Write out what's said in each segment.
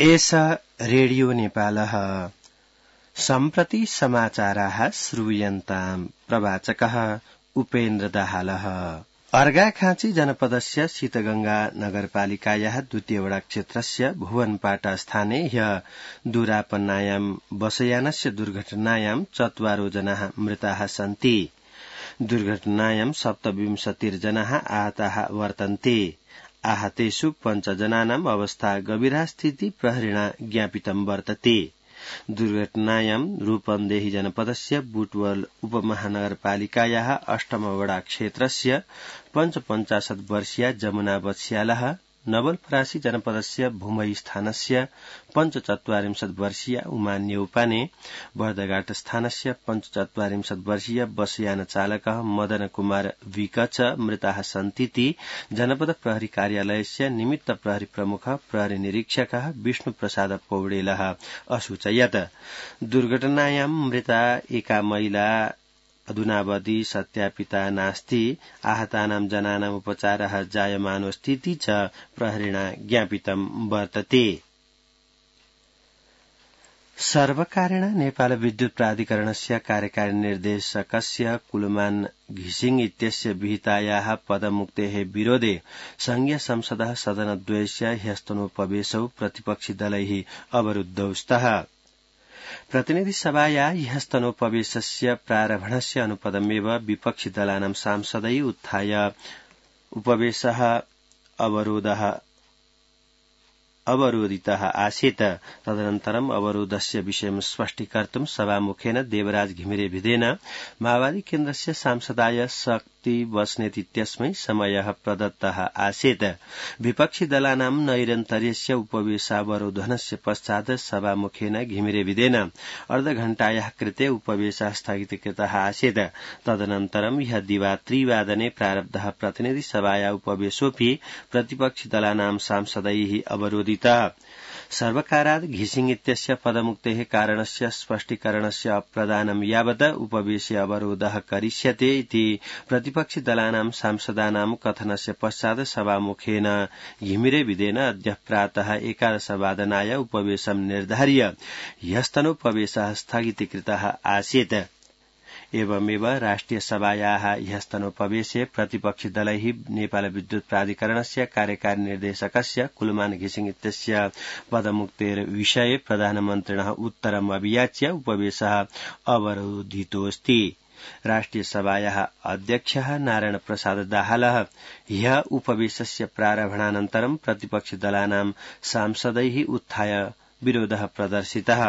एषा रेडियो नेपालः सम्प्रति समाचाराः श्रूयन्ताम् प्रवाचकः उपेन्द्र दाहालः। अर्घाखाँची जनपदस्य शीतगंगा नगरपालिकायाः द्वितीय वडा क्षेत्रस्य भुवनपाटा स्थाने ह्य दुरापन्नायां बसयानस्य दुर्घटनायां 4 जनाः मृताः सन्ति। दुर्घटनायां 27 जनाः आहताः वर्तन्ते। आहतेषु 5 जनानाम् अवस्था गंभीरा स्थिति प्रहरिणा ज्ञापितं वर्तते। दुर्घटनायां रूपन्देही जनपदस्य बुटवल उपमहानगरपालिकायाः 8 वडा क्षेत्रस्य 55 वर्षीया जमुना बत्स्यालः, नवलपरासी जनपदस्य भूमई स्थानस्य 45 वर्षीया उमा नेउपाने, बर्दघाट स्थानस्य 45 वर्षीय बसयान चालकः मदन कुमार विक च मृताः सन्तीति जनपद प्रहरी कार्यालयस्य निमित्त प्रहरी प्रमुख प्रहरी निरीक्षकः विष्णु प्रसाद पौडेलः असूचयत्। दुर्घटनायां मृता एका महिला अधुनावधि सत्यापिता नास्ति। आहतानां जनानाम् उपचारः जायमानोऽस्तीति च प्रहरिणा ज्ञापितं वर्तते। सर्वकारेण नेपाल विद्युत प्राधिकरणस्य कार्यकारी निर्देशकस्य कुलमान घिसिङ इत्यस्य विहितायाः पदमुक्तेः विरोधे संघीय संसदः सदनद्वयस्य ह्यस्तनोपवेशौ प्रतिपक्षी दलैः अवरुद्धौ स्तः। प्रतिनिधि सभाया ह्यस्तनोपवेशस्य प्रारम्भणस्य अनुपदमेव विपक्षी दलानां सांसदै उत्थाय उपवेशः अवरोधितः आसीत्। तदनन्तरम् अवरोधस्य विषयं स्पष्टीकर्तुं सभामुखेन देवराज घिमिरे भिदेन माओवादी केन्द्रस्य सांसदाय शक्ति बस्नेत इत्यस्मै समयः प्रदत्तः आसीत्। विपक्षी दलानां नैरन्तर्यस्य उपवेशावरोधनस्य पश्चात् सभामुखेन घिमिरे भिदेन अर्धघण्टायाः कृते उपवेशः स्थगितीकृतः आसीत्। तदनन्तरं ह्य दिवा 3 प्रारब्धः प्रतिनिधि सभाया उपवेशोऽपि प्रतिपक्षी दलानां सांसदैः अवरोधितः। सर्वकारात् घिसिङ इत्यस्य पदमुक्तेः कारणस्य स्पष्टीकरणस्य अप्रदानं यावत् उपवेशे अवरोधः करिष्यते इति प्रतिपक्षी दलानां सांसदानां कथनस्य पश्चात् सभामुखेन घिमिरे भिदेन अद्य प्रातः 11 वादनाय उपवेशं निर्धार्य ह्यस्तनोपवेशः स्थगितीकृतः आसीत्। एवमेव राष्ट्रिय सभायाः ह्यस्तनोपवेशे प्रतिपक्षी दलैः नेपाल विद्युत प्राधिकरणस्य कार्यकारी निर्देशकस्य कुलमान घिसिङ इत्यस्य पदमुक्तेर विषये प्रधानमन्त्रिणः उत्तरम् अभियाच्य उपवेशः अवरोधितोऽस्ति। राष्ट्रिय सभायाः अध्यक्षः नारायण प्रसाद दाहालः ह्य उपवेशस्य प्रारम्भणानन्तरं प्रतिपक्षी दलानां सांसदैः उत्थाय विरोधः प्रदर्शितः।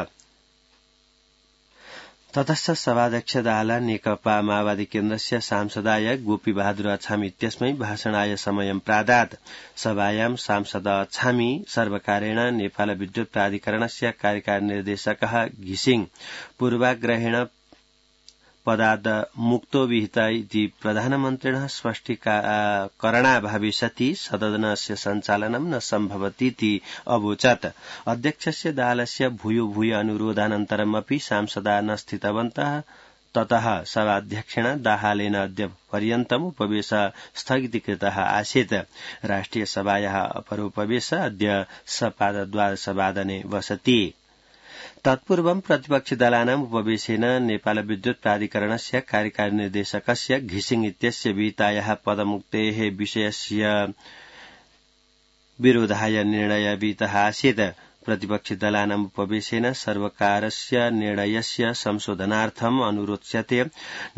ततश्च सभाध्यक्ष दाहाल नेकपा माओवादी केन्द्रस्य सांसदाय गोपी बहादुर अछामी इत्यस्मै भाषणाय समयं प्रादात्। सभायां सांसद अछामी सर्वकारेण नेपाल विद्युत प्राधिकरणस्य कार्यकारी निर्देशकः घिसिङ पूर्वाग्रहेण पदाद् मुक्तो विहिता इति प्रधानमन्त्रिणः स्पष्टीकरणाभावे सति सदनस्य सञ्चालनं न सम्भवतीति अवोचत्। अध्यक्षस्य दाहालस्य भूयो अनुरोधानन्तरमपि सांसदा न स्थितवन्तः। ततः सभाध्यक्षेण दाहालेन अद्य पर्यन्तम् उपवेशः स्थगितीकृतः आसीत्। राष्ट्रिय सभायाः अपरोपवेशः अद्य सपाद 12 वसति। तत्पूर्वं प्रतिपक्षी दलानाम् उपवेशेन नेपाल विद्युत प्राधिकरणस्य कार्यकारी निर्देशकस्य घिसिङ इत्यस्य विहितायाः पदमुक्तेः विषयस्य विरोधाय निर्णय विहितः आसीत्। प्रतिपक्षी दलानाम् उपवेशेन सर्वकारस्य निर्णयस्य संशोधनार्थम् अनुरोच्यते।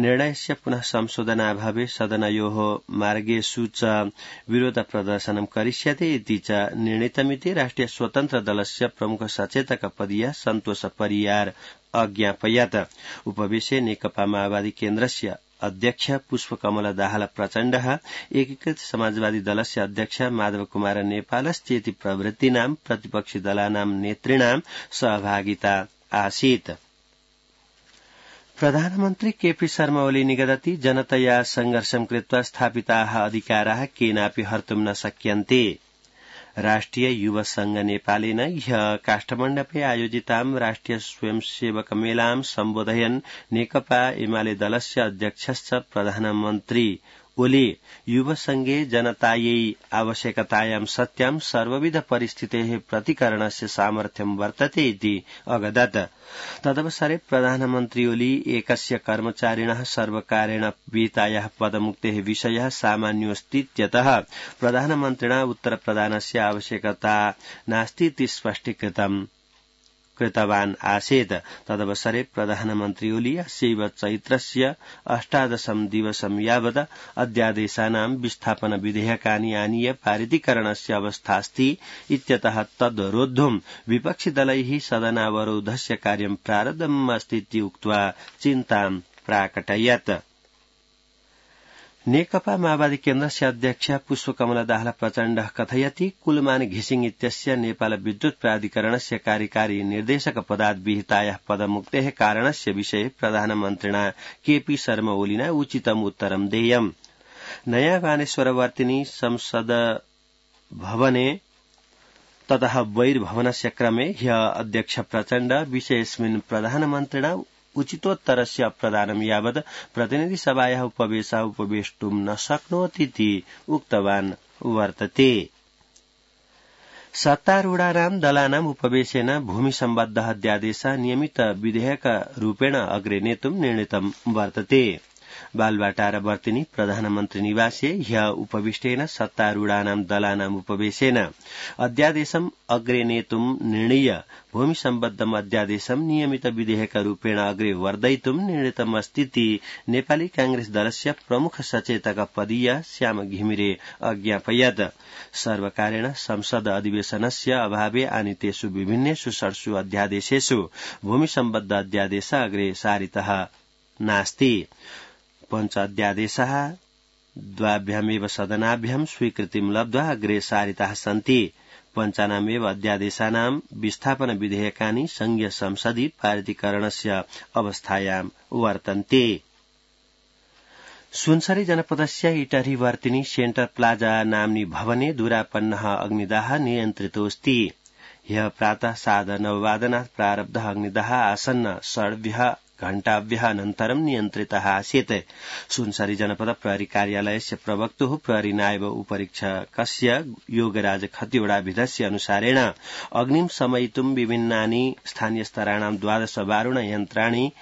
निर्णयस्य पुनः संशोधनाभावे सदनयोः मार्गेषु च विरोध प्रदर्शनं करिष्यते इति च निर्णीतमिति राष्ट्रिय स्वतन्त्र दलस्य प्रमुख सचेतक पदीयः सन्तोष परियार अज्ञापयत्। उपवेशे नेकपा माओवादी केन्द्रस्य अध्यक्ष पुष्पकमल दाहाल प्रचण्डः, एकीकृत समाजवादी दलस्य अध्यक्ष माधव कुमार नेपालश्चेति प्रभृतीनां प्रतिपक्षी दलानां नेतृणां सहभागिता आसीत्। प्रधानमन्त्री केपी शर्मा ओली निगदति जनतया संघर्षं कृत्वा स्थापिताः अधिकाराः केनापि हर्तुं न शक्यन्ते। राष्ट्रिय युवा संघ नेपालेन ह्य काष्ठमण्डपे आयोजितां राष्ट्रिय स्वयंसेवक मेलां सम्बोधयन् नेकपा एमाले दलस्य अध्यक्षश्च प्रधानमन्त्री ओली युवसङ्घे जनतायै आवश्यकतायां सत्यां सर्वविध परिस्थितेः प्रतिकरणस्य सामर्थ्यं वर्तते इति अगदत्। तदवसरे प्रधानमन्त्री ओली एकस्य कर्मचारिणः सर्वकारेण विहितायाः पदमुक्तेः विषयः सामान्योऽस्तीत्यतः प्रधानमन्त्रिणा उत्तरप्रदानस्य आवश्यकता नास्तीति स्पष्टीकृतवान् आसीत्। तदवसरे प्रधानमन्त्री ओली अस्यैव चैत्रस्य 18 दिवसं यावत् अध्यादेशानां विस्थापन विधेयकानि आनीय पारितीकरणस्य अवस्थास्ति इत्यतः तद्रोद्धुं विपक्षिदलैः सदनावरोधस्य कार्यं प्रारब्धम् अस्तीति उक्त्वा चिन्तां प्राकटयत्। नेकपा माओवादी केन्द्रस्य अध्यक्ष पुष्पकमल दाहाल प्रचण्डः कथयति कुलमान घिसिङ इत्यस्य नेपाल विद्युत प्राधिकरणस्य कार्यकारी निर्देशक पदात् विहितायाः पदमुक्तेः कारणस्य विषये प्रधानमन्त्रिणा केपी शर्मा ओलिना उचितम् उत्तरं देयम्। नयाँ बानेश्वरवर्तिनी संसद भवने ततः बहिर्भवनस्य क्रमे ह्यः अध्यक्ष प्रचण्ड विषयेऽस्मिन् प्रधानमन्त्रिणा उचितोत्तरस्य प्रदानं यावत् प्रतिनिधिसभायाः उपवेशः उपवेष्टुं न शक्नोतीति उक्तवान् वर्तते। सत्तारूढानां दलानाम् उपवेशेन भूमिसम्बद्ध अध्यादेशः नियमित विधेयकरूपेण अग्रे नेतुं निर्णीतं वर्तते। बालवाटार वर्तिनी प्रधानमन्त्री निवासे ह्यः उपविष्टेन सत्तारूढानां दलानाम् उपवेशेन अध्यादेशम् अग्रे नेतुं निर्णीय भूमिसम्बद्धम् अध्यादेशम् नियमित विधेयकरूपेण अग्रे वर्धयितुं निर्णीतमस्तीति नेपाली कांग्रेस दलस्य प्रमुख सचेतक पदीय श्याम घिमिरे अज्ञापयत्। सर्वकारेण संसद अधिवेशनस्य अभावे आनीतेषु विभिन्नेषु 6 अध्यादेशेषु भूमिसम्बद्ध अध्यादेश अग्रे सारितः नास्ति। पञ्च अध्यादेशाः द्वाभ्यामेव सदनाभ्यां स्वीकृतिं लब्ध्वा अग्रे सारिताः सन्ति। पञ्चानामेव अध्यादेशानां विस्थापन विधेयकानि संघीय संसदि पारितीकरणस्य अवस्थायां वर्तन्ते। सुनसरी जनपदस्य इटहरी वर्तिनी सेन्टर प्लाजा नाम्नि भवने दूरापन्नः अग्निदाह नियन्त्रितोऽस्ति। ह्यः प्रातः 9:30 प्रारब्धः अग्निदाह आसन्न 6 घण्टाभ्यः अनन्तरं नियन्त्रितः आसीत्। सुनसरी जनपद प्रहरी कार्यालयस्य प्रवक्तुः प्रहरी नायब उपरीक्षकस्य योगराज खतिवड़ाभिधस्य अनुसारेण अग्निं शमयितुं विभिन्नानि स्थानीयस्तराणां 12 वारुण यन्त्राणि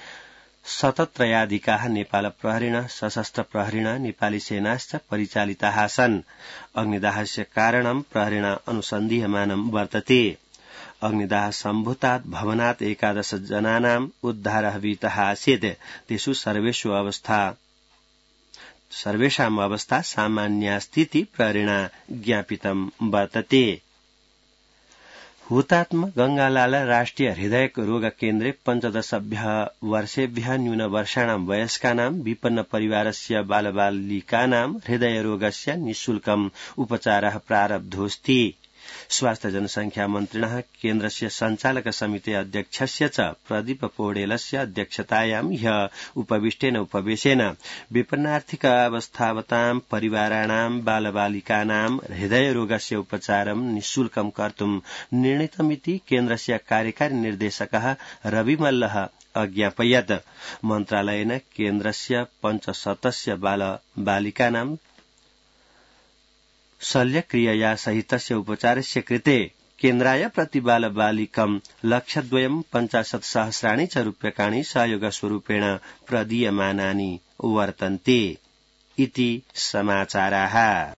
173 नेपाल प्रहरिण सशस्त्र प्रहरिण नेपाली सेनाश्च परिचालिताः आसन्। अग्निदाहस्य कारणं प्रहरिण अनुसन्धीयमानं वर्तते। अग्निदाह सम्भूतात् भवनात् 11 जनानाम् उद्धारः विहितः आसीत्। तेषु सर्वेषाम् अवस्था सामान्यास्तीति प्रहरिणा ज्ञापितं वर्तते। हुतात्मा गंगालाल राष्ट्रिय हृदय रोग केन्द्रे 15 वर्षेभ्यः न्यूनवर्षाणां वयस्कानां विपन्न परिवारस्य बालबालिकानां हृदयरोगस्य निःशुल्कम् उपचारः प्रारब्धोऽस्ति। स्वास्थ्य जनसंख्या मन्त्रिणः केन्द्रस्य सञ्चालक समिति अध्यक्षस्य च प्रदीप पौडेलस्य अध्यक्षतायां ह्यः उपविष्टेन उपवेशेन विपन्नार्थिक अवस्थावतां परिवाराणां बालबालिकानां हृदयरोगस्य उपचारं निःशुल्कं कर्तुं निर्णीतमिति केन्द्रस्य कार्यकारी निर्देशकः रवि मल्लः अज्ञापयत्। मन्त्रालयेन केन्द्रस्य 5 सदस्य बालबालिकानां शल्यक्रियया सहितस्य उपचारस्य कृते केन्द्राय प्रतिबालबालिकं 1,50,000 च रूप्यकाणि सहयोगस्वरूपेण प्रदीयमानानि वर्तन्ते इति समाचाराः।